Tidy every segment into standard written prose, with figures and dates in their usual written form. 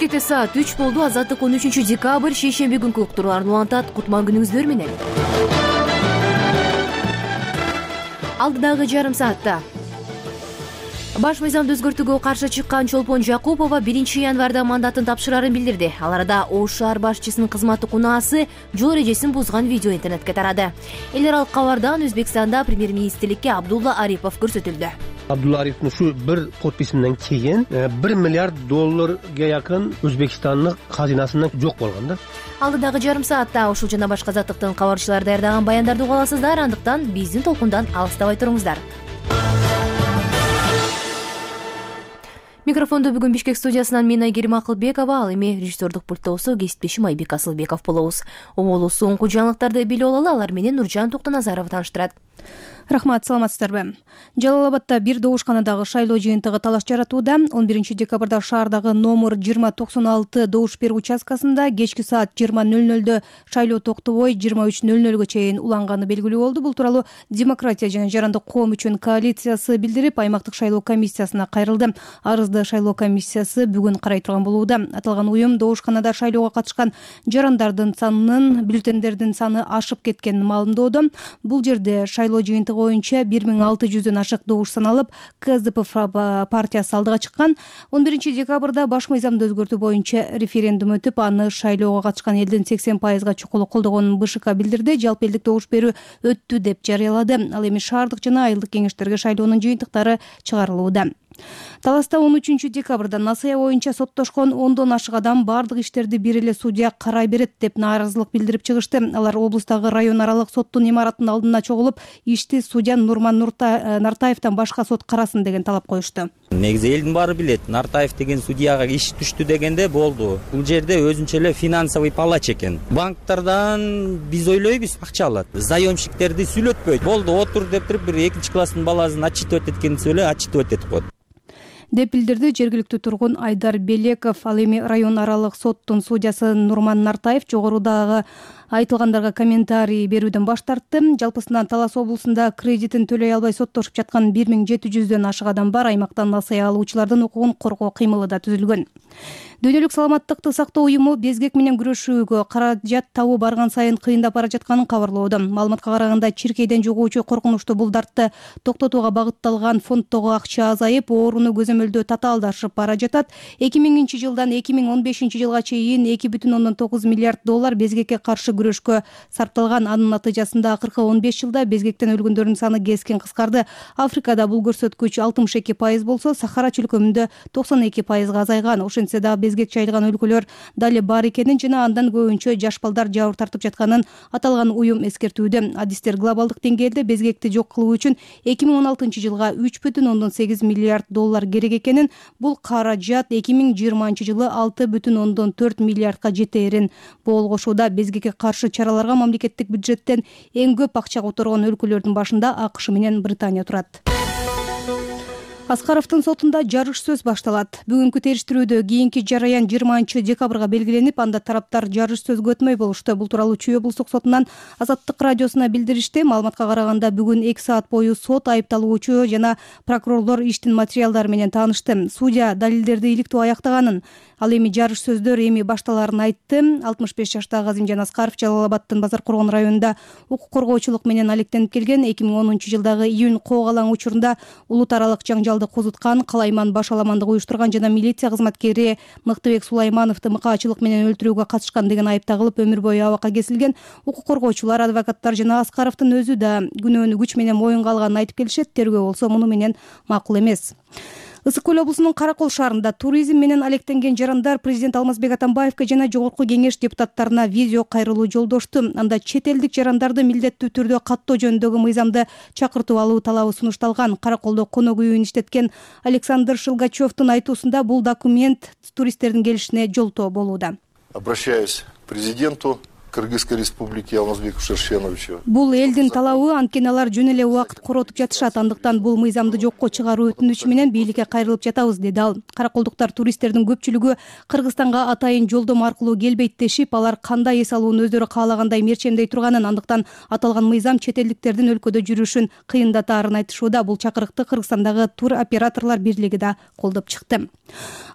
Бишкекте саат 3 болду. Азаттык 13 декабрь шейшемби күнкү уктурууларын улантат. Кутман күнүңүздөр менен. Алдыдагы жарым саатта баш мыйзамды өзгөртүүгө каршы чыккан Чолпон Жакупова 1-январда мандатын тапшырарын билдирди. Ал арада Ош шаар башчысынын кызматтык унаасы жол эрежесин бузган видео интернетке тарады. Эл аралык кабардан Өзбекстанда премьер-министрликке Абдулла Арипов көрсөтүлдү. Абдулла Ариповдун ушу бир подписинен кийин $1 миллиард жакын Өзбекстандын казинасынан жок болгон да. Алдыдагы жарым саатта ушул жана башка заттыктын кабарчылары даярдаган баяндарды уга аласыздар. Андыктан биздин толкундан алыстабай туруңуздар. Микрофондо бүгүн Бишкек студиясынан мен Айгерим Акылбекова, ал эми режиссердук пульттоосу кесиптешим Айбек Асылбеков болобуз. Оболу соңку жаңылыктарды билип алалы, алар менен Нуржан Токтоназаров тааныштырат. Рахмат, саламатсыздарбы? Жалал-Абадта бир добушканадагы шайлоо жыйынтыгы талаш жаратууда. 11 декабрда шаардагы номер 2096 добуш берүү участкасында кечки саат 20:00 шайлоо токтобой 23:00 чейин уланганы белгилүү болду. Бул тууралуу Демократия жана Жарандык коом үчүн коалициясы билдирип, аймактык шайлоо комиссиясына кайрылды. Арызды шайлоо комиссиясы бүгүн карай турган болууда. Аталган уюм добушканада шайлоого катышкан жарандардын санынын, бюллетендердин саны ашып кеткенин маалымдоодо. Бул жерде шайлоо жыйынтыгы боюнча 1600дөн ашык добуш саналып, КСДП партиясы алдыга чыккан. 11 декабрда баш мыйзамды өзгөртүү боюнча референдум өтүп, аны шайлоого катышкан элдин 80%-га чукулу колдогонун БШК билдирди. Жалпы элдик добуш берүү өттү деп жарыялады. Ал эми шаардык жана айылдык кеңештерге шайлоонун жыйынтыктары чыгарылууда. Таласта 13 декабрда насыя боюнча соттошкон 10дон ашык адам бардык иштерди бир эле судья карай берет деп нааразылык билдирип чыгышты. Алар облустагы район аралык соттун имаратынын алдына чогулуп, ишти судья Нурман Нартаевден башка сот карасын деген талап коюшту. Негизи элдин баары билет, Нартаев деген судьяга иш түштү дегенде болду. Бул жерде өзүнчө эле финансовый палач экен. Банктардан биз ойлойбуз акча алат. Заемщиктерди сүйлөтпөйт. Болду, отур деп туруп, бир 2-класстын баласын отчитывать эткенин сөйлө, отчитывать этип коет деп билдирди жергиликтүү тургун Айдар Белеков. Ал эми район аралык соттун судьясы Нурман Нартаев жогорудагы айтылгандарга комментарий берүүдөн баш тартты. Жалпысынан Талас облусунда кредитин төлөй албай соттошуп жаткан 1700дөн ашык адам бар. Аймактан насыя алуучулардын укугун коргоо кыймылы да түзүлгөн. Дүйнөлүк саламаттыкты сактоо уюму безгек менен күрөшүүгө каражат табуу барган сайын кыйындап бара жатканын кабарлоодо. Маалыматка караганда, чиркейден жугуучу коркунучтуу булдартты токтотууга багытталган фонддогу акча азайып, ооруну көзөмөлдөө татаалдашып бара жатат. 2000-жылдан 2015-жылга чейин $2,9 миллиард безгекке каршы күрөшкө сарпталган. Анын натыйжасында акыркы 15 жылда безгектен өлгөндөрдүн саны кескен кыскарды. Африкада бул көрсөткүч 62% болсо, Сахара чөлкөмүндө 92%га азайган. Ошентсе да безгек жайылган өлкөлөр дали бар экенин жана андан көбүнчө жаш балдар жабыр тартып жатканын аталган уюм эскертүүдө. Адистер глобалдык деңгээлде безгекти жок кылуу үчүн 2016-жылга $3,8 миллиард керек экенин, бул каражат 2020-жылы $6,4 миллиардга жетээрин болгошууда. Безгекке каршы чараларга мамлекеттик бюджеттен эң көп акча которгон өлкөлөрдүн башында АКШ менен Британия турат. Аскаровдун сотунда жарыш сөз башталат. Бүгүнкү териштирүүдө кийинки жараян 20 декабрга белгиленип, анда тараптар жарыш сөзгө өтмөй болушту. Бул тууралуу Чүй облустук сотунан Азаттык радиосуна билдиришти. Маалыматка караганда, бүгүн 2 саат бою сот, айыпталуучу жана прокурорлор иштин материалдары менен таанышты. Судья далилдерди иликтөө аяктаганын, ал эми жарыш сөздөр эми башталарын айтты. 65 жаштагы Азимжан Аскаров Жалал-Абадтын Базар-Коргон районунда укук коргоочулук менен алектенип келген. 2010-жылдагы июнь Коогалаң учурунда улут аралык жаңжалды козуткан, калайман баш аламандык уюштурган жана милиция кызматкери Мыктыбек Сулаймановду мыкаачылык менен өлтүрүүгө катышкан деген айып тагылып, өмүр бою абакка кесилген. Укук коргоочулар, адвокаттар жана Аскаровдун өзү да күнөөнү күч менен моюнга алганын айтып келишет. Тергөө болсо муну менен макул эмес. Ысык көл облусунун Каракол шаарында туризм менен алектенген жарандар президент Алмазбек Атамбаевге жана жогорку кеңеш депутаттарына видео кайрылуу жолдошту. Анда чет элдик жарандарды милдеттүү түрдө каттоо жөнүндөгү мыйзамды чакыртып алуу талабы сунушталган. Караколдо конок үйүн иштеткен Александр Шилгачевдун айтуусунда бул документ туристтердин келишине жолтоо болууда. Обращаюсь к президенту, Кыргызской Республики Алмазбекова Шершеновича. Бул элдин талабы, анткени алар жөн эле убакыт коротуп жатышат. Андыктан бул мыйзамды жокко чыгаруу өтүнүчү менен бийликке кайрылып жатабыз, деди ал. Караколдуктар туристтердин көпчүлүгү Кыргызстанга атайын жолдом аркылуу келбейт дешип, алар кандай эс алууну өздөрү каалагандай мерчемдей турганын, андыктан аталган мыйзам чет элдиктердин өлкөдө жүрүшүн кыйындатаарын айтышууда. Бул чакырыкты Кыргызстандагы тур операторлор бирлиги да колдоп чыкты.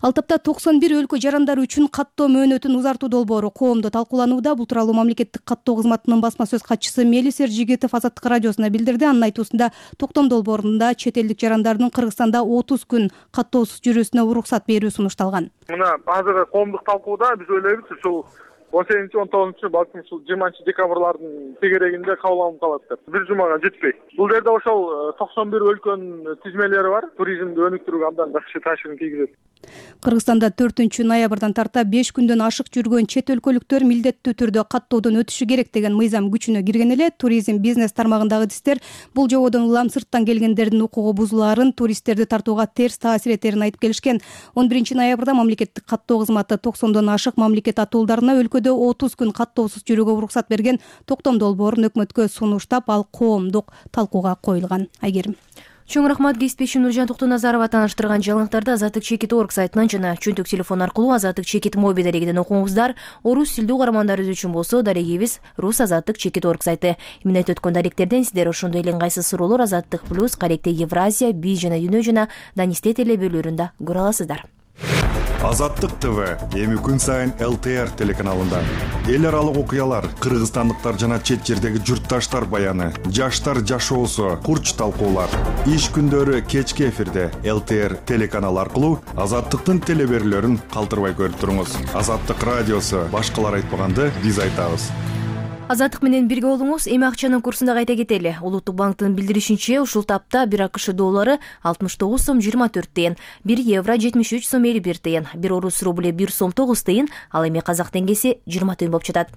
Ал тапта 91 өлкө жарандары үчүн каттоо мөөнөтүн узартуу долбоору коомдо талкууланууда. Бул тууралуу мамлекеттик каттоо кызматынын басма сөз катчысы Мелис Эржигитов Азаттык радиосуна билдирди. Анын айтуусунда токтом долбоорунда чет элдик жарандардын Кыргызстанда 30 күн каттоосуз жүрүүсүнө уруксат берүү сунушталган. Мына азыр коомдук талкууда биз ойлойбуз ушул 18-19 балким ушул 20 декабрлардын тегерегинде кабыл алынып калат деп. Бир жумага жетпей. Бул жерде ошол 91 өлкөнүн тизмелери бар. Туризмди өнүктүрүүгө абдан жакшы таасирин тийгизет. Кыргызстанда 4-ноябрдан тарта 5 күндөн ашык жүргөн чет өлкөлүктөр милдеттүү түрдө каттоодон өтүшү керек деген мыйзам күчүнө кирген эле. Туризм бизнес тармагындагы идистер бул жободон улам сырттан келгендердин укугу бузулаарын, туристтерди тартууга терс таасир этерин айтып келишкен. 11 ноябрда мамлекеттик каттоо кызматы 90дон ашык мамлекет атуулдарына өлкөдө 30 күн каттоосуз жүрүүгө уруксат берген. Токтом долбоорун өкмөткө сунуштап, ал коомдук талкууга коюлган. Айгерим. Чоң рахмат. Кесипбешим Нуржан Токтоназарова тааныштырган жаңылыктарды Азаттык Чекит.org сайтынан жана чөнтөк телефон аркылуу Азаттык Чекит моби дарегиден окуңуздар. Орус тилдүү угармандарыбыз үчүн болсо дарегибиз Рус Азаттык Чекит.org сайты. Эмне айтып өткөн даректерден сиздер ошондой эле ыңгайсыз суроолор Азаттык плюс, Каректе Евразия, Би жана Дүйнө жана Данисте теле бөлүлөрүндө көрө аласыздар. Азаттык ТВ эми күн сайын ЛТР телеканалында эл аралык окуялар, кыргызстандыктар жана чет жердеги журтташтар баяны, жаштар жашоосу, курч талкуулар. Иш күндөрү кечки эфирде ЛТР телеканалы аркылуу Азаттыктын телеберлөрүн калтырбай көрүп туруңуз. Азаттык радиосу башкалар айтпаганды биз айтабыз. Азаттык менен бирге болуңуз. Эми акчанын курсун да кайта кетели. Улуттук банктын билдиришинче, ушул тапта 1 АКШ доллары 69 сом 24 тыйын, 1 евро 73 сом 51 тыйын, 1 орус рубль 1 сом 9 тыйын, ал эми казак теңгеси 20 тыйын болуп жатат.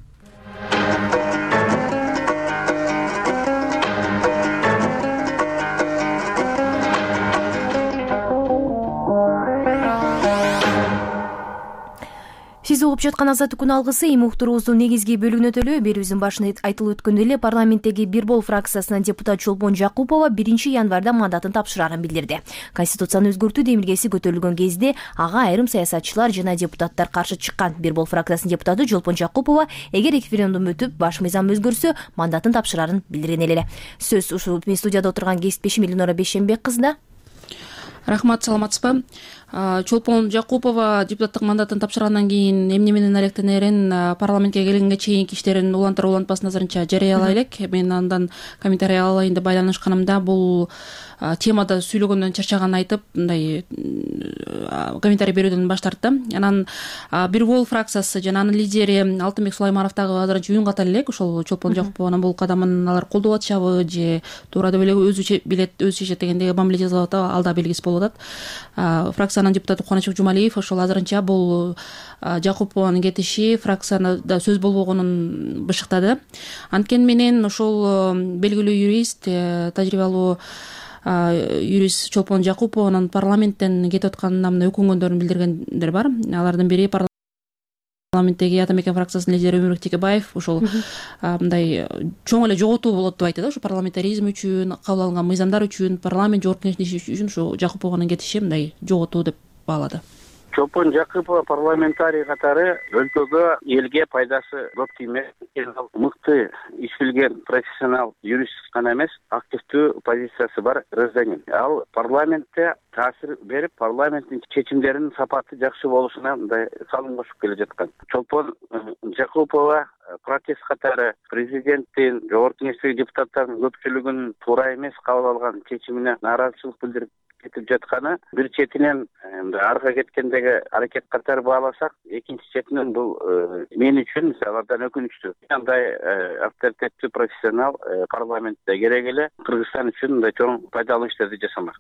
Сиз угуп жаткан Азаттык күн алгысы эми уктуруубуздун негизги бөлүгүнө төлөө. Берүүбүздүн башында айтылып өткөндөй эле парламенттеги Бир бол фракциясынан депутат Чолпон Жакупова 1 январда мандатын тапшырарын билдирди. Конституцияны өзгөртүү демилгеси көтөрүлгөн кезде ага айрым саясатчылар жана депутаттар каршы чыккан. Бир бол фракциясынын депутаты Чолпон Жакупова эгер референдум өтүп, баш мыйзам өзгөрсө, мандатын тапшырарын билдирген эле. Сөз ушул студияда отурган кесипбешим Элнора Бейшенбек кызына. Рахмат, саламатсызбы? Чолпон Жакупова депутаттык мандатын тапшыргандан кийин эмне менен алектенерин, парламентке келгенге чейинки иштерин улантыр улантпасын азырынча жарыялай элек. Мен андан комментарий алайын деп байланышканымда бул темада сүйлөгөндөн чарчаганын айтып, мындай комментарий берүүдөн баш тартты. Анан Бир бол фракциясы жана анын лидери Алтынбек Сулайманов дагы азырынча үн ката элек. Ошол Чолпон Жакупованын бул кадамын алар колдоп атышабы же туура деп эле өзү билет, өзү чечет дегендеги мамиле жасап атат, ал да белгисиз болуп атат. Фракциянын депутаты Кубанычбек Жумалиев ошол азырынча бул Жакупованын кетиши фракцияда сөз болбогонун бышыктады. Анткени менен ошол белгилүү юрист, тажрыйбалуу юрист Чолпон Жакупованын парламенттен кетип атканына өкүнгөндөрүн билдиргендер бар. Алардын бири парламенттеги Атамекен фракциясынын лидери Өмүрбек Текебаев ошол мындай чоң эле жоготуу болот деп айтты да. Ошо парламентаризм үчүн, кабыл алынган мыйзамдар үчүн, парламент жогорку кеңештин иши үчүн ушу Жакупованын кетиши мындай жоготуу деп баалады. Чолпон Жакупова парламентарий катары өлкөгө, элге пайдасы көп тиймек. Мыкты иш билген профессионал юрист гана эмес, активдүү позициясы бар гражданин. Ал парламентте таасир берип, парламенттин чечимдеринин сапаты жакшы болушуна мындай салым кошуп келе жаткан. Чолпон Жакупова протест катары президенттин, жогорку кеңештеги депутаттардын көпчүлүгүнүн туура эмес кабыл алган чечимине нааразычылык билдирип кетип жатканы, бир четинен арга кеткендеги аракет катары бааласак, экинчи четинен бул мен үчүн алардан өкүнүчтүү. Андай авторитеттүү профессионал парламентте керек эле, Кыргызстан үчүн мындай чоң пайдалуу иштерди жасамак.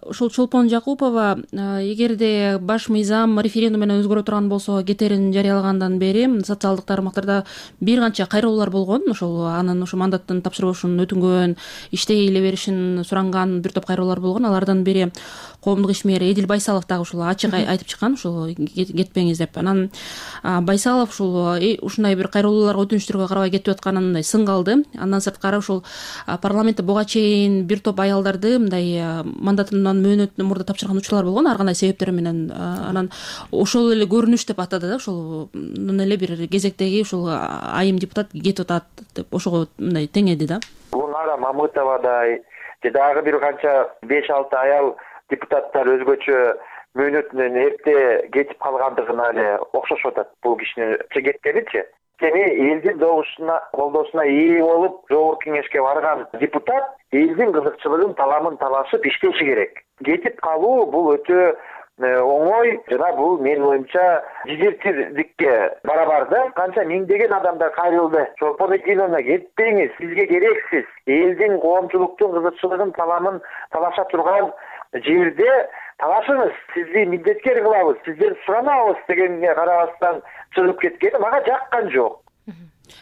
Ушул Чолпон Жакупова эгерде баш мыйзам референдум менен өзгөрө турган болсо кетерин жарыялагандан бери социалдык тармактарда бир канча кайрылуулар болгон. Ошол анын ушу мандаттын тапшырбашын өтүнгөн, иштей эле беришин суранган бир топ кайрылуулар болгон. Алардан бери коомдук ишмер Эдил Байсалов дагы ушул ачык айтып чыккан, ушул кетпеңиз деп. Анан Байсалов ушул ушундай бир кайрылууларга, өтүнүчтөргө карабай кетип атканын мындай сынга алды. Андан сырткары ушул парламентте буга чейин бир топ аялдарды мындай мандатынан мөөнөтүнөн мурда тапшырган учурлар болгон, ар кандай себептер менен. Анан ошол эле көрүнүш деп атады да, ошолдон эле бир кезектеги ушул айым депутат кетип атат деп ошого мындай теңеди да. Гулнара Мамытовадай же дагы бир канча 5-6 аял депутаттар өзгөчө мөөнөтүнөн эрте кетип калгандыгына эле окшошуп атат бул кишинин кеткеничи. Эми элдин добушуна, колдоосуна ээ болуп, жогорку кеңешке барган депутат элдин кызыкчылыгын, таламын талашып иштеши керек. Кетип калуу бул өтө оңой жана бул менин оюмча дезертирдикке барабар да. Канча миңдеген адамдар кайрылды. Чолпон Эдиловна, кетпеңиз, сизге керексиз. Элдин коомчулуктун кызыкчылыгын, таламын талаша турган жерде талашыңыз, сизди милдеткер кылабыз, сизден суранабыз дегенге карабастан чыгып кеткени мага жаккан жок.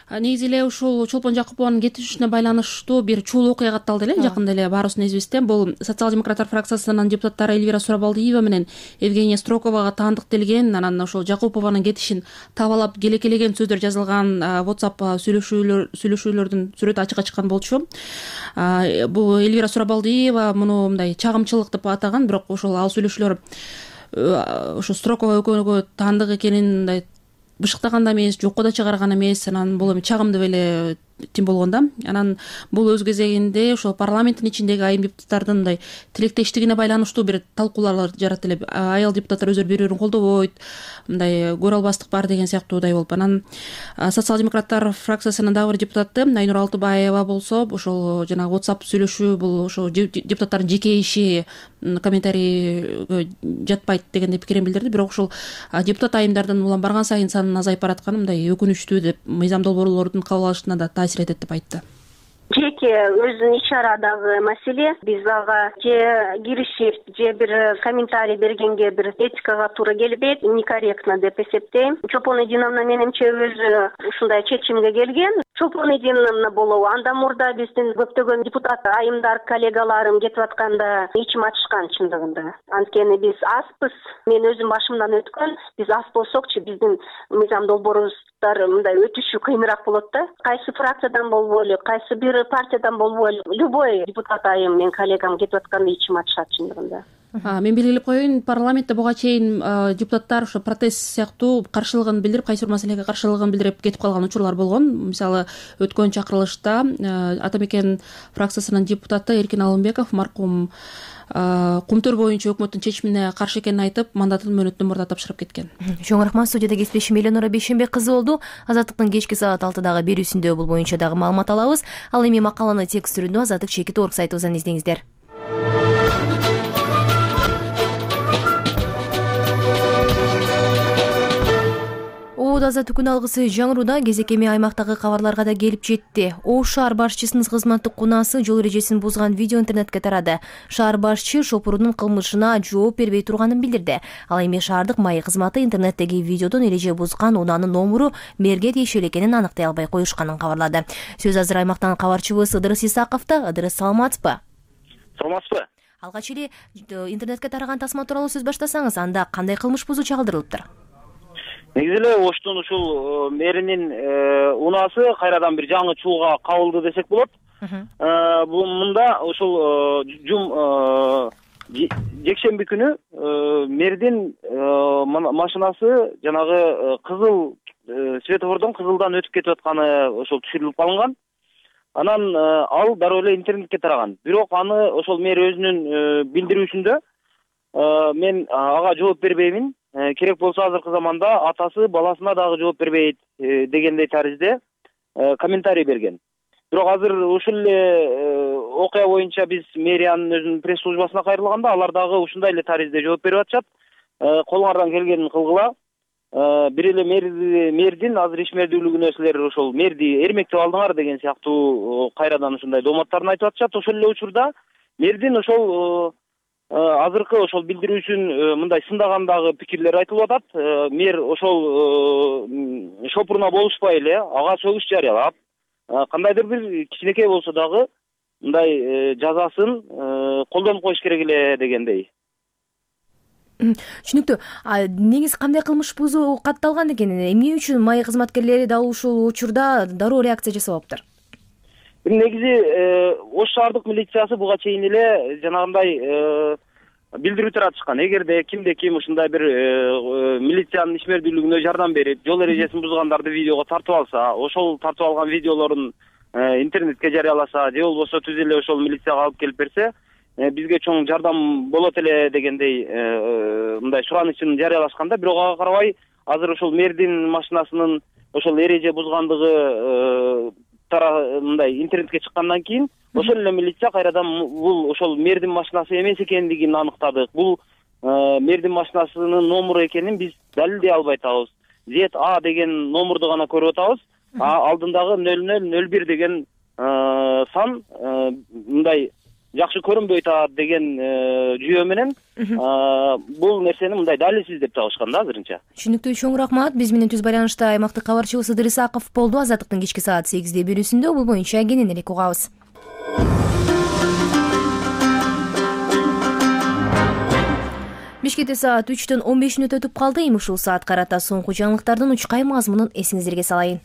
Негизи эле ушул Чолпон Жакупованын кетишине байланыштуу бир чуул окуя катталды эле жакында эле баарыбыздын эсибизде. Бул социал-демократтар фракциясынын депутаттары Эльвира Сурабалдиева менен Евгения Строковага таандык делген. Анан ошол Жакупованын кетишин табалап келекелеген сөздөр жазылган WhatsApp сүйлөшүүлөрдүн сүрөтү ачыкка чыккан болчу. Бул Эльвира Сурабалдиева муну мындай чагымчылык деп атаган, бирок ошол ал сүйлөшүүлөр ошо Строкова экөөгө таандык экенин мындай бышыктаган да эмес, жокко да чыгарган эмес. Анан бул эми чагым деп эле тим болгон да. Анан бул өз кезегинде ошо парламенттин ичиндеги айым депутаттардын мындай тилектештигине байланыштуу бир талкуулар жаратты эле. Аял депутаттар өздөрү бири-бирин колдобойт, мындай көрө албастык бар деген сыяктуудай болуп. Анан социал-демократтар фракциясынын дагы бир депутаты Айнур Алтыбаева болсо, ошол жанагы WhatsApp сүйлөшүү бул ошо депутаттардын жеке иши, комментарийге жатпайт дегендей пикирин билдирди. Бирок ушул депутат айымдардын улам барган сайын санын азайып баратканы мындай өкүнүчтүү деп, мыйзам долбоорлордун кабыл алышына да таасир этет деп айтты. Жеке өзүнүн иш-чарадагы маселе, биз ага же киришип, же бир комментарий бергенге бир этикага туура келбейт, некорректно деп эсептейм. Чолпон Эдиловна менимче өзү ушундай чечимге келген. Чолпон Эдиловна болобу, андан мурда биздин көптөгөн депутат айымдар, коллегаларым кетип атканда ичим ачышкан чындыгында. Анткени биз азбыз. Мен өзүм башымдан өткөн, биз аз болсокчу биздин мыйзам долбоорубуздар мындай өтүшү кыйыныраак болот да. Кайсы фракциядан болбойлу, кайсы бир партиядан болбойлу, любой депутат айым мен коллегам кетип атканда ичим ачышат чындыгында. Мен белгилеп коеюн, парламентте буга чейин депутаттар ошо протест сыяктуу каршылыгын билдирип, кайсы бир маселеге каршылыгын билдирип кетип калган учурлар болгон. Мисалы, өткөн чакырылышта Ата Мекен фракциясынын депутаты Эркин Алымбеков маркум Кумтөр боюнча өкмөттүн чечимине каршы экенин айтып, мандатын мөөнөтүнөн мурда тапшырып кеткен. Чоң рахмат. Студияда кесиптешим Эленора Бейшенбек кызы болду. Азаттыктын кечки саат 6дагы берүүсүндө бул боюнча дагы маалымат алабыз. Ал эми макаланы текст түрүндө Азаттык /org сайтыбыздан издеңиздер. Азаттык күн алгысы жаңыруда кезек эми аймактагы кабарларга да келип жетти. Ош шаар башчысынын кызматтык кунаасы жол эрежесин бузган видео интернетке тарады. Шаар башчы шопурунун кылмышына жооп бербей турганын билдирди. Ал эми шаардык майы кызматы интернеттеги видеодон эреже бузган унаанын номуру мэрге тиешелүү экенин аныктай албай коюшканын кабарлады. Сөз азыр аймактан кабарчыбыз Ыдырыс Исаковдо. Ыдырыс, саламатсызбы? Саламатсызбы? Алгач эле интернетке тараган тасма тууралуу сөз баштасаңыз, анда кандай кылмыш бузуу чагылдырылыптыр? Негизи эле Оштун ушул мэринин унаасы кайрадан бир жаңы чуулга кабылды десек болот. Бул мында ушул жекшемби күнү мэрдин машинасы жанагы кызыл светофордон кызылдан өтүп кетип атканы ошол түшүрүлүп калынган. Анан ал дароо эле интернетке тараган. Бирок аны ошол мэр өзүнүн билдирүүсүндө мен ага жооп бербеймин. Керек болсо азыркы заманда атасы баласына дагы жооп бербейт дегендей таризде комментарий берген. Бирок азыр ушул эле окуя боюнча биз мэриянын өзүнүн пресс службасына кайрылганда алар дагы ушундай эле таризде жооп берип атышат. Колуңардан келгенин кылгыла. Бир эле мэрдин азыр ишмердүүлүгүнө силер ошол мэрди эрмектеп алдыңар деген сыяктуу кайрадан ушундай дооматтарын айтып атышат. Ошол эле учурда мэрдин ошол азыркы ошол билдирүүсүн мындай сындагандагы пикирлер айтылып атат. Мэр ошол шопуруна болушпай эле ага сөгүш жарыялап, кандайдыр бир кичинекей болсо дагы мындай жазасын колдонуп коюш керек эле дегендей. Түшүнүктүү. Негизи кандай кылмыш бузуу катталган экен? Эмне үчүн майы кызматкерлери дал ушул учурда дароо реакция жасабаптыр? Негизи Ош шаардык милициясы буга чейин эле жанагындай билдирүү таратышкан. Эгерде кимде ким ушундай бир милициянын ишмердүүлүгүнө жардам берип, жол эрежесин бузгандарды видеого тартып алса, ошол тартып алган видеолорун интернетке жарыяласа, же болбосо түз эле ошол милицияга алып келип берсе, бизге чоң жардам болот эле дегендей мындай суранычын жарыялашканда, бирок ага карабай азыр ошол мэрдин машинасынын ошол эреже бузгандыгы мындай интернетке чыккандан кийин ошол эле милиция кайрадан бул ошол мэрдин машинасы эмес экендигин аныктадык. Бул мэрдин машинасынын номуру экенин биз далилдей албай атабыз. ZA деген номурду гана көрүп атабыз. Алдындагы 0001 деген сан мындай жакшы көрүнбөй атат деген жүйө менен бул нерсени мындай далилсиз деп табышкан да азырынча. Түшүнүктүү, чоң рахмат. Биз менен түз байланышта аймактык кабарчыбыз Ыдыр Исаков болду. Азаттыктын кечки саат 8 берүүсүндө бул боюнча кененирээк угабыз. Бишкекте саат 3:15 өтүп калды. Эми ушул саат карата соңку жаңылыктардын учкай мазмунун эсиңиздерге салайын.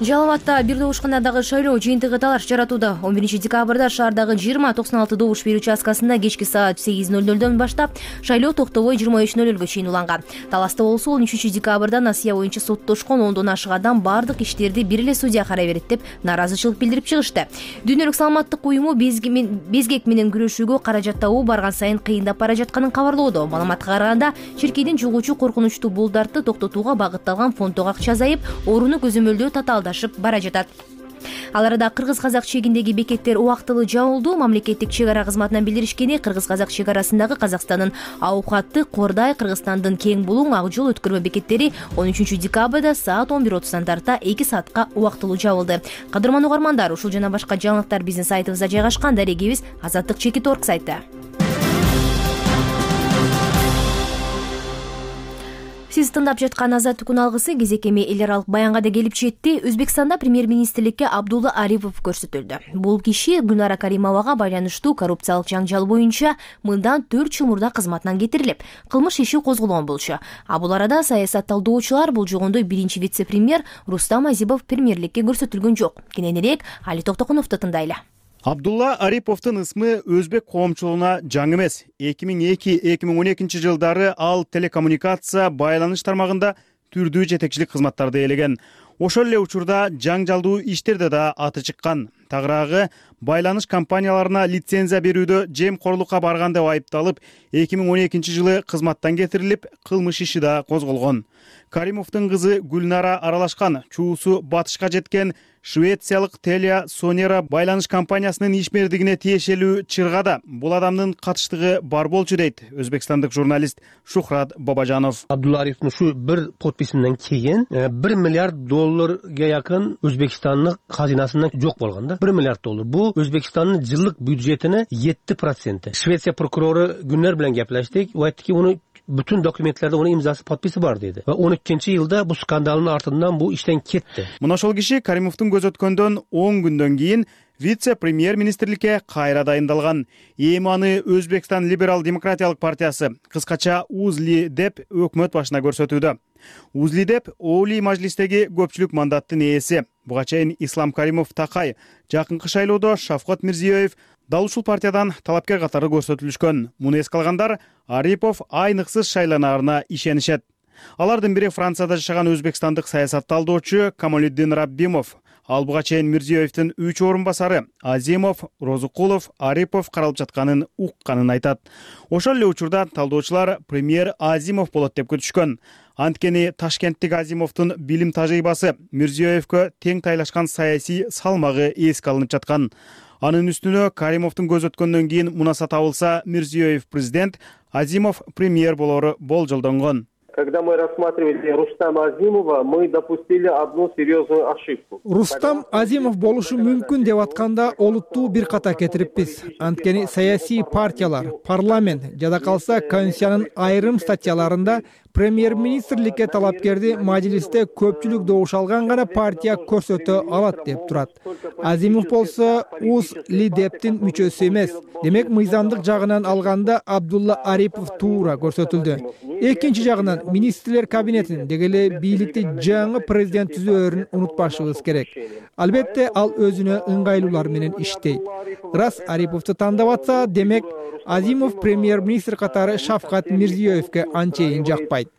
Жалал Абадта бир добушканадагы шайлоо жыйынтыгы талаш жаратууда. 11 декабрда шаардагы 20-96 добуш берүү участкасында кечки саат 8:00 баштап шайлоо токтобой 23:00 чейин уланган. Таласта болсо 13 декабрда насыя боюнча соттошкон 10дон ашык адам бардык иштерди бир эле судья карай берет деп нааразычылык билдирип чыгышты. Дүйнөлүк саламаттык уюму безгек менен күрөшүүгө каражат табуу барган сайын кыйындап бара жатканын кабарлоодо. Маалыматка караганда, чиркейдин жугуучу коркунучтуу булдарды токтотууга багытталган фонддогу акча азайып, орууну көзөмөлдөө татаалдашып бара жатат. Ал арада кыргыз-казак чегиндеги бекеттер убактылуу жабылду. Мамлекеттик чек ара кызматынан билдиришкени, кыргыз-казак чек арасындагы Казакстандын Аукатты, Кордай, Кыргызстандын Кең Булуң, Ак жол өткөрмө бекеттери 13 декабрда саат 11:30 тарта 2 саатка убактылуу жабылды. Кадырман угармандар, ушул жана башка жаңылыктар биздин сайтыбызда жайгашкан. Дарегибиз Азаттык.org сайты. Сиз тыңдап жаткан Азаттыктын алгысы кезек эми эл аралык баянга да келип жетти. Өзбекстанда премьер-министрликке Абдулла Арипов көрсөтүлдү. Бул киши Гүлнара Каримовага байланыштуу коррупциялык жаңжал боюнча мындан 4 жыл мурда кызматынан кетирилип, кылмыш иши козголгон болчу. Бул арада саясат талдоочулар бул жогондо биринчи вице-премьер Рустам Азипов премьерликке көрсөтүлгөн жок. Кененирээк Али Токтокуновду тыңдайлы. Абдулла Ариповдун ысмы өзбек коомчулугуна жаңы эмес. 2002-2012 жылдары ал телекоммуникация байланыш тармагында түрдүү жетекчилик кызматтарды ээлеген. Ошол эле учурда жаңжалдуу иштерде да аты чыккан. Тагыраагы байланыш компанияларына лицензия берүүдө жемкорлукка барган деп айыпталып, 2012 жылы кызматтан кетирилип, кылмыш иши да козголгон. Каримовдун кызы Гүлнара аралашкан, чуусу батышка жеткен швециялык Telia Sonera байланыш компаниясынын ишмердигине тиешелүү чыргада бул адамдын катыштыгы бар болчу дейт өзбекстандык журналист Шухрат Бабажанов. Абдулла Ариповдун ушу бир подписинен кийин 1 миллиард долларга якын Өзбекстандын казинасынан жок болгон да. 1 миллиард доллар. Бул Өзбекстандын жылдык бюджетине 7%. Швеция прокурору Гүлнар менен кеплештик. У айттыки, уну bütün dokumentlerde onun imzası, подписи бар dedi. Ve 13 yılda bu skandalın артынан bu işten ketти. Мына ошол киши Каримовдун көз өткөндөн 10 күндөн кийин вице-премьер министрликке кайра дайындалган. Эми аны Өзбекстан либерал демократиялык партиясы, кыскача УЗЛИ деп өкмөт башына көрсөтүүдө. УЗЛИ деп Олий мажлистеги көпчүлүк мандаттын ээси. Буга чейин Ислам Каримов Такай, жакынкы шайлоодо Шавкат Мирзиёев дал ушул партиядан талапкер катары көрсөтүлүшкөн. Муну эске алгандар Арипов айныксыз шайланаарына ишенишет. Алардын бири Францияда жашаган өзбекстандык саясат талдоочу Камалиддин Раббимов. Ал буга чейин Мирзиёевдин 3 орун басары Азимов, Розукулов, Арипов каралып жатканын укканын айтат. Ошол эле учурда талдоочулар премьер Азимов болот деп күтүшкөн. Анткени Ташкенттик Азимовдун билим тажрыйбасы Мирзиёевгө тең тайлашкан саясий салмагы эске алынып жаткан. Анын үстүнө Каримовдун көз өткөндөн кийин мунаса табылса, Мирзиёев президент, Азимов премьер болору болжолдонгон. когда мы рассматривали Рустама Азимова, мы допустили одну серьезную ошибку. Рустам Азимов болушу мүмкүн деп атканда олуттуу бир ката кетириппиз. Анткени саясий партиялар, парламент жада калса Конституциянын айрым статьяларында премьер-министрликке талапкерди мажлисте көпчүлүк добуш алган гана партия көрсөтө алат деп турат. Азимов болсо УЗ-ЛИДЕПтин мүчөсү эмес. Демек мыйзамдык жагынан алганда Абдулла Арипов туура көрсөтүлдү. Экинчи жагынан министрлер кабинетин деги эле бийликти жаңы президент түзөөрүн унутпашыбыз керек. Албетте ал өзүнө ыңгайлуулар менен иштейт. Рас Ариповду тандап атса, демек Азимов премьер-министр катары Шавкат Мирзиёевке анчейин жакпайт.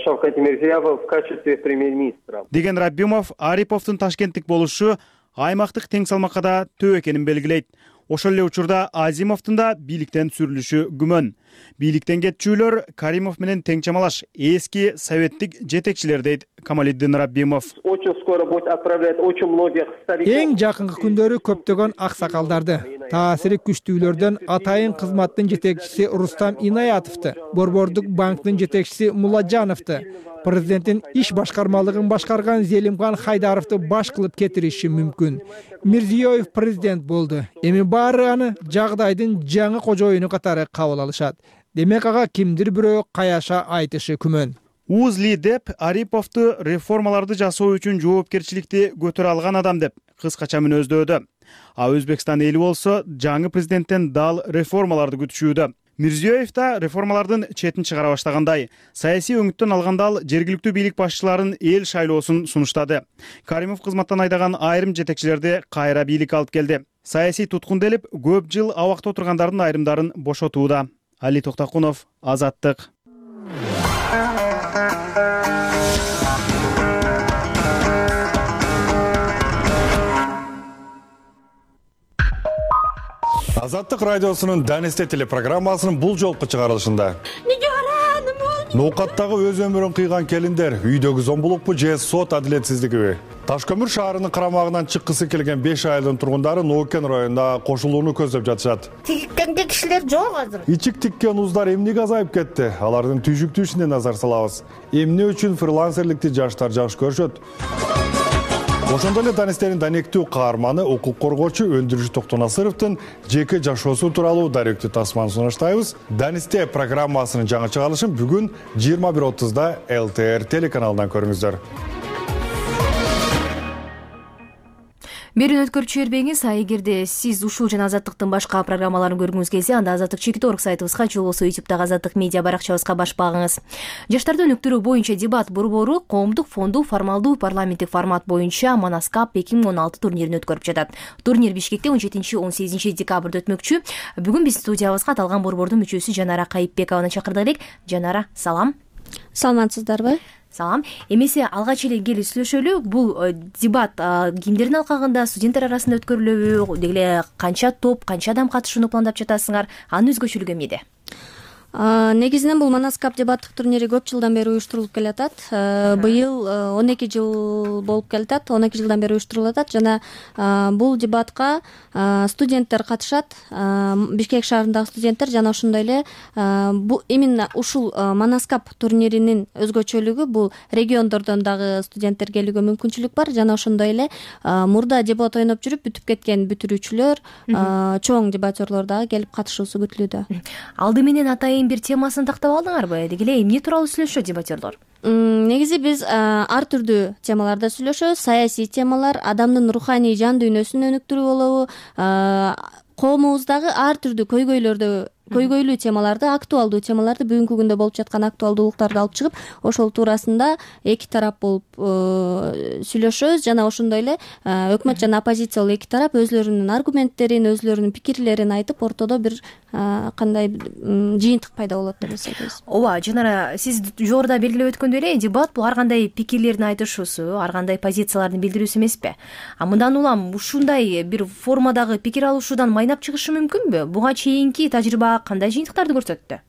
Шавкат Мирзиёев в качестве премьер-министра. Деген Рабимов Ариповдун Ташкенттик болушу аймактык тең салмакка да төө экенин белгилейт. Ошол эле учурда Азимовдун да бийликтен сүрүлүшү күмөн. Бийликтен кетчүлөр Каримов менен тең чамалаш эски советтик жетекчилер дейт Камалиддин Рабимов. Очень скоро будет отправлять очень многих стариков. Эң жакынкы күндөрү көптөгөн аксакалдарды, таасири күчтүүлөрдөн атайын кызматтын жетекчиси Рустам Инаятовду, Борбордук банктын жетекчиси Мулладжановду, президенттин иш башкармалыгын башкарган Зелимхан Хайдаровду баш кылып кетириши мүмкүн. Мирзиёев президент болду. Эми баары аны жагдайдын жаңы кожоюну катары кабыл алышат. Демек ага кимдир бирөө каяша айтышы күмөн. УЗ-ЛИДЕП Ариповду реформаларды жасоо үчүн жоопкерчиликти көтөрө алган адам деп кыскача мүнөздөдү. А Өзбекстан эли болсо жаңы президенттен дал реформаларды күтүшүүдө. Мирзиёев да реформалардын четин чыгара баштагандай. Саясий өңүттөн алганда ал жергиликтүү бийлик башчыларын эл шайлоосун сунуштады. Каримов кызматтан айдаган айрым жетекчилерди кайра бийликке алып келди. Саясий туткун делип, көп жыл абакта отургандардын айрымдарын бошотууда. Али Токтакунов, Азаттык. Азаттык радиосунун Данисте телепрограммасынын бул жолку чыгарылышында ноокаттагы өз өмүрүн кыйган келиндер үйдөгү зомбулукпу же сот адилетсиздигиби? Ташкөмүр шаарынын карамагынан чыккысы келген 5 айылдын тургундары Ноокен районунда кошулууну көздөп жатышат. Тиккенге кишилер жок азыр. Ичик тиккен ууздар эмнеге азайып кетти? Алардын түйшүктүү ишине назар салабыз. Эмне үчүн фрилансерликти жаштар жакшы көрүшөт? Ошондой эле Данистердин данектүү каарманы укук коргоочу Өндүрүш Токтонасыровдун жеке жашоосу тууралуу даректүү тасманы сунуштайбыз. Данисте программасынын жаңы чыгарылышын бүгүн 21:30 ЛТР телеканалынан көрүңүздөр. Берүүнү өткөрүп жибербеңиз. Эгерде сиз ушул жана Азаттыктын башка программаларын көргүңүз келсе, анда Азаттык.org сайтыбызга же болбосо YouTube'дагы Азаттык медиа баракчабызга баш багыңыз. Жаштарды өнүктүрүү боюнча дебат борбору коомдук фондуу формалдуу парламенттик формат боюнча Манаскап 2016 турнирин өткөрүп жатат. Турнир Бишкекте 17-18 декабрда өтмөкчү. Бүгүн биз студиябызга аталган борбордун мүчөсү Жанара Кайыпбекованы чакырдык элек. Жанара, салам. Саламатсыздарбы? Салам. Эмесе алгач эле келип сүйлөшөлү. Бул дебат кимдердин алкагында, студенттер арасында өткөрүлөбү? Деги эле канча топ, канча адам катышууну пландап жатасыңар? Анын өзгөчөлүгү эмнеде? Негизинен бул Манаскап дебаттык турнири көп жылдан бери уюштурулуп келатат. Быйыл 12 жыл болуп келатат. 12 жылдан бери уюштурулуп атат жана бул дебатка студенттер катышат. Бишкек шаарындагы студенттер жана ошондой эле именно ушул Манаскап турниринин өзгөчөлүгү бул региондордон дагы студенттер келүүгө мүмкүнчүлүк бар жана ошондой эле мурда дебат ойноп жүрүп бүтүп кеткен бүтүрүүчүлөр, чоң дебатерлор дагы келип катышуусу күтүлүүдө. Алды менен атайын бир темасын тактап алдыңарбы? Деги эле эмне тууралуу сүйлөшөт дебатерлор? Негизи биз ар түрдүү темаларда сүйлөшөбүз. Саясий темалар, адамдын руханий жан дүйнөсүн өнүктүрүү болобу, коомубуздагы ар түрдүү көйгөйлүү темаларды, актуалдуу темаларды, бүгүнкү күндө болуп жаткан актуалдуулуктарды алып чыгып, ошол туурасында эки тарап болуп сүйлөшөбүз жана ошондой эле өкмөт жана оппозициялуу эки тарап өзлөрүнүн аргументтерин, өзлөрүнүн пикирлерин айтып, ортодо бир кандай жыйынтык пайда болот деп эсептейбиз. Ооба, Жанара, сиз жогоруда белгилеп өткөндөй эле дебат бул ар кандай пикирлердин айтышуусу, ар кандай позициялардын билдирүүсү эмеспи? Мындан улам ушундай бир формадагы пикир алышуудан майнап чыгышы мүмкүнбү? Буга чейинки тажрыйба кандай жыйынтыктарды көрсөттү?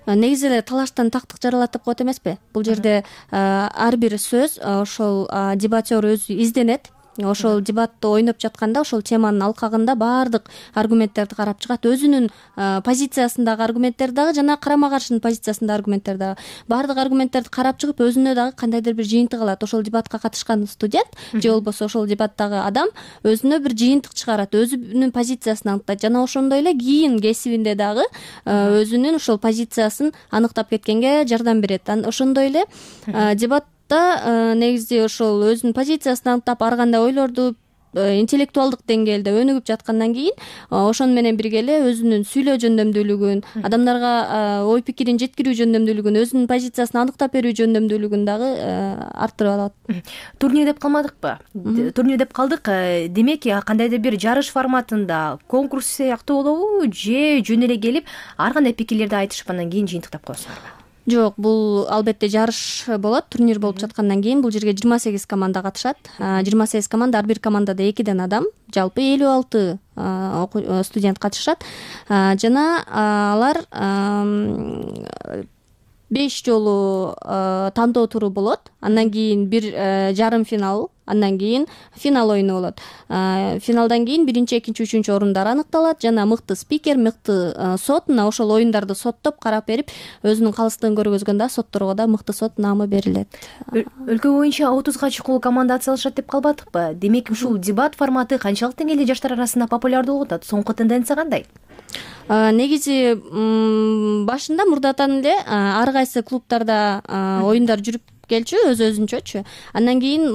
Негизи эле талаштан тактык жаралат деп коет эмеспи? Бул жерде ар бир сөз ошол дебатер өзү изденет. ошол дебатты ойноп жатканда ошол теманын алкагында баардык аргументтерди карап чыгат, өзүнүн позициясындагы аргументтер дагы жана карама каршынын позициясындагы аргументтер дагы, баардык аргументтерди карап чыгып өзүнө дагы кандайдыр бир жыйынтык алат. Ошол дебатка катышкан студент же болбосо ошол дебаттагы адам өзүнө бир жыйынтык чыгарат, өзүнүн позициясын аныктайт жана ошондой эле кийин кесибинде дагы өзүнүн ошол позициясын аныктап кеткенге жардам берет. Ошондой эле дебатта негизи ошол өзүнүн позициясын аныктап ар кандай ойлорду интеллектуалдык деңгээлде өнүгүп жаткандан кийин ошону менен бирге эле өзүнүн сүйлөө жөндөмдүүлүгүн, адамдарга ой пикирин жеткирүү жөндөмдүүлүгүн, өзүнүн позициясын аныктап берүү жөндөмдүүлүгүн дагы арттырып алат. Турнир деп калмадыкпы? Турнир деп калдык. Демек, кандайдыр бир жарыш форматында конкурс сыяктуу болобу же жөн эле келип ар кандай пикирлерди айтышып андан кийин жыйынтыктап коесуңарбы? Жок, бул албетте жарыш болот. Турнир болуп жаткандан кийин бул жерге 28 команда катышат. 28 команда, ар бир командада 2ден адам, жалпы 56 студент катышат. Жана алар 5 жолу тандоо туру болот. Андан кийин бир жарым финал, андан кийин финал оюну болот. Финалдан кийин 1-2, 3 орундар аныкталат жана мыкты спикер, мыкты сот мына ошол оюндарды соттоп карап берип, өзүнүн калыстыгын көргөзгөндө сотторго да мыкты сот наамы берилет. Өлкө боюнча 30га чукул команда атсалышат деп калбадыкпы? Демек, ушул дебат форматы канчалык деңгээлде жаштар арасында популярдуу болуп атат? Соңку тенденция кандай? Негизи башында мурдатан эле ар кайсы клубтарда оюндар жүрүп келчү, өзүнчөчү. Андан кийин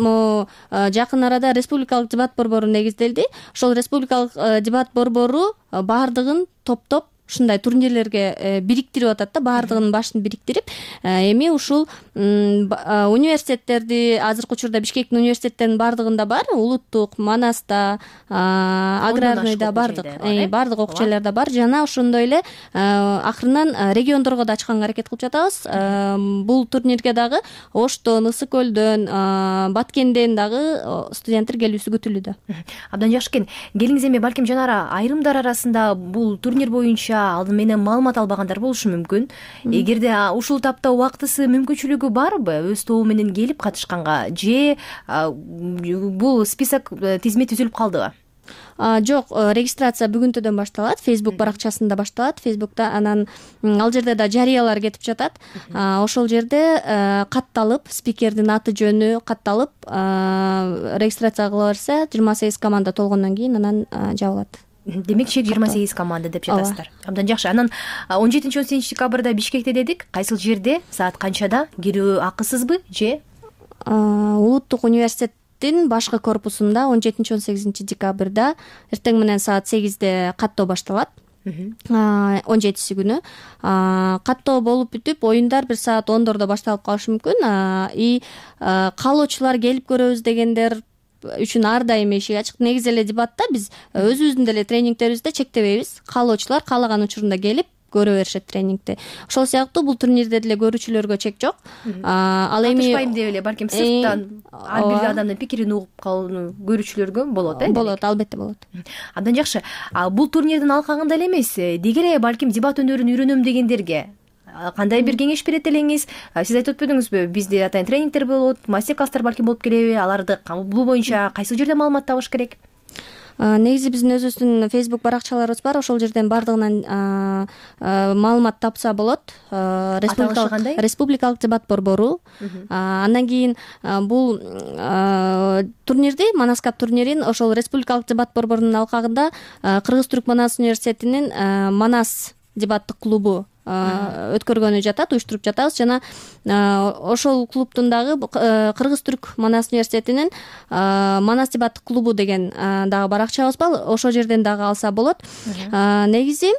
жакын арада республикалык дебат борбору негизделди. Ошол республикалык дебат борбору баардыгын топтоп ушундай турнирлерге бириктирип атат да, баардыгынын башын бириктирип, эми ушул университеттерди, азыркы учурда Бишкектин университеттеринин баардыгында бар, улуттук, Манаста, аграрныйда баардык окуучуларда бар жана ошондой эле акырынан региондорго да ачканга аракет кылып жатабыз. Бул турнирге дагы Оштон, Ысык көлдөн, Баткенден дагы студенттер келүүсү күтүлүүдө. Абдан жакшы экен. Келиңиз, эми балким жанара айрымдар арасында бул турнир боюнча алдын менен маалымат албагандар болушу мүмкүн. Эгерде ушул тапта убактысы, мүмкүнчүлүгү барбы өз тобу менен келип катышканга же бул список тизме түзүлүп калдыбы? Жок, регистрация бүгүнтөдөн башталат, Facebook баракчасында башталат. Facebook'та анан ал жерде да жарыялар кетип жатат. Ошол жерде катталып, спикердин аты жөнү катталып, регистрация кыла берсе, 28 команда толгондон кийин анан жабылат. Демек, чек 28 команда деп жатасыздар. Абдан жакшы. Анан 17-18 декабрда Бишкекте дедик. Кайсыл жерде, саат канчада, кирүү акысызбы же? Улуттук университеттин башкы корпусунда 17-18 декабрда эртең менен саат 8-де каттоо башталат. 17-си күнү каттоо болуп бүтүп, оюндар бир саат 10-дордо башталып калышы мүмкүн. Каалоочулар келип көрөбүз дегендер үчүн ар дайым эшик ачык. Негизи эле дебатта биз өзүбүздүн деле тренингтерибизде чектебейбиз. Каалоочулар каалаган учурунда келип көрө беришет тренингти. Ошол сыяктуу бул турнирде деле көрүүчүлөргө чек жок. Ал эми катышпайм деп эле балким сырттан ар бир адамдын пикирин угуп калууну көрүүчүлөргө болот, Болот, албетте болот. Абдан жакшы. Бул турнирдин алкагында эле эмес, деги эле балким дебат өнөрүн үйрөнөм дегендерге кандай бир кеңеш берет элеңиз? Сиз айтып өтпөдүңүзбү? Бизде атайын тренингтер болот, мастер-класстар балким болуп келеби? Аларды бул боюнча кайсы жерде маалымат табыш керек? Негизи биздин өзүбүздүн Facebook баракчаларыбыз бар. Ошол жерден баардыгынан маалымат тапса болот. Республикалык дебат борбору. Андан кийин бул турнирди, Манаскап турнирин ошол республикалык дебат борборунун алкагында Кыргыз-Түрк Манас университетинин Манас дебаттык клубу өткөргөнү жатат, уюштуруп жатабыз жана ошол клубтун дагы Кыргыз-Түрк Манас университетинин Манас дебаттык клубу деген дагы баракчабыз бар. Ошол жерден дагы алса болот. Негизи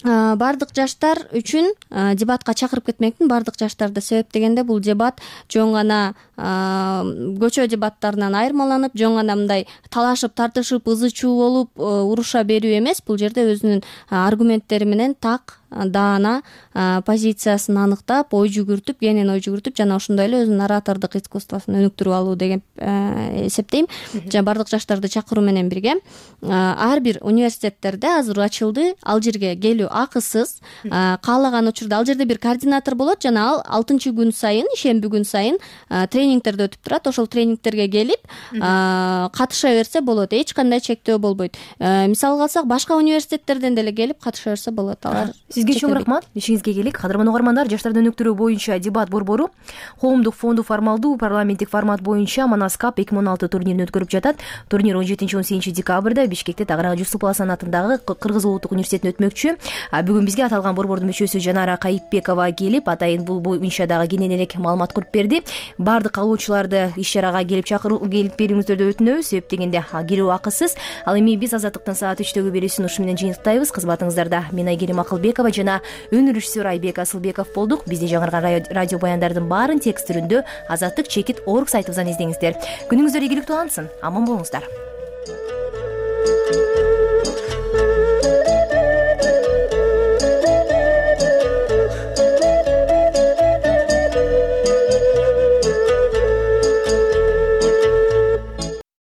бардык жаштар үчүн дебатка чакырып кетмекмин. Бардык жаштарды себептегенде бул дебат жөн гана көчө дебаттарынан айырмаланып, жөн гана мындай талашып, тартышып, ызы чуу болуп уруша берүү эмес. Бул жерде өзүнүн аргументтери менен так даана позициясын аныктап, ой жүгүртүп, кенен ой жүгүртүп, жана ошондой эле өзүнүн оратордук искусствосун өнүктүрүп алуу деген эсептейм. Жана бардык жаштарды чакыруу менен бирге ар бир университеттерде азыр ачылды, ал жерге келүү акысыз. Каалаган учурда ал жерде бир координатор болот, жана ал 6-күн сайын, ишемби күн сайын тренингтерди өтүп турат. Ошол тренингтерге келип катыша берсе болот, эч кандай чектөө болбойт. Мисалга алсак, башка университеттерден деле келип катыша берсе болот. Алар сизге чоң рахмат, ишиңизге келик. Кадырман угармандар, жаштарды өнүктүрүү боюнча дебат борбору коомдук фонду формалдуу парламенттик формат боюнча Манас Cup 2016 турнирин өткөрүп жатат. Турнир 17-18 декабрда Бишкекте Тагырага Жусупов Асан атындагы Кыргыз улуттук университетине өтмөкчү. Бүгүн бизге аталган борбордун мүчөсү Жанара Кайыпбекова келип, атайын бул боюнча дагы кенен элек маалымат куруп берди. Бардык калуучуларды иш-чарага келип берүүңүздөрдү өтүнөбүз, себеп дегенде кирүү акысыз. Ал эми биз Азаттыктын саат 3-төгү берүүсүн ушу менен жыйынтыктайбыз. Кызматыңыздарда мен Айгерим Акылбекова жана өнөр режиссеру Айбек Асылбеков болдук. Бизде жаңырган радио баяндардын баарын текст түрүндө Азаттык чекит org сайтыбыздан издеңиздер. Күнүңүздөр ийгиликтүү алынсын. Аман болуңуздар.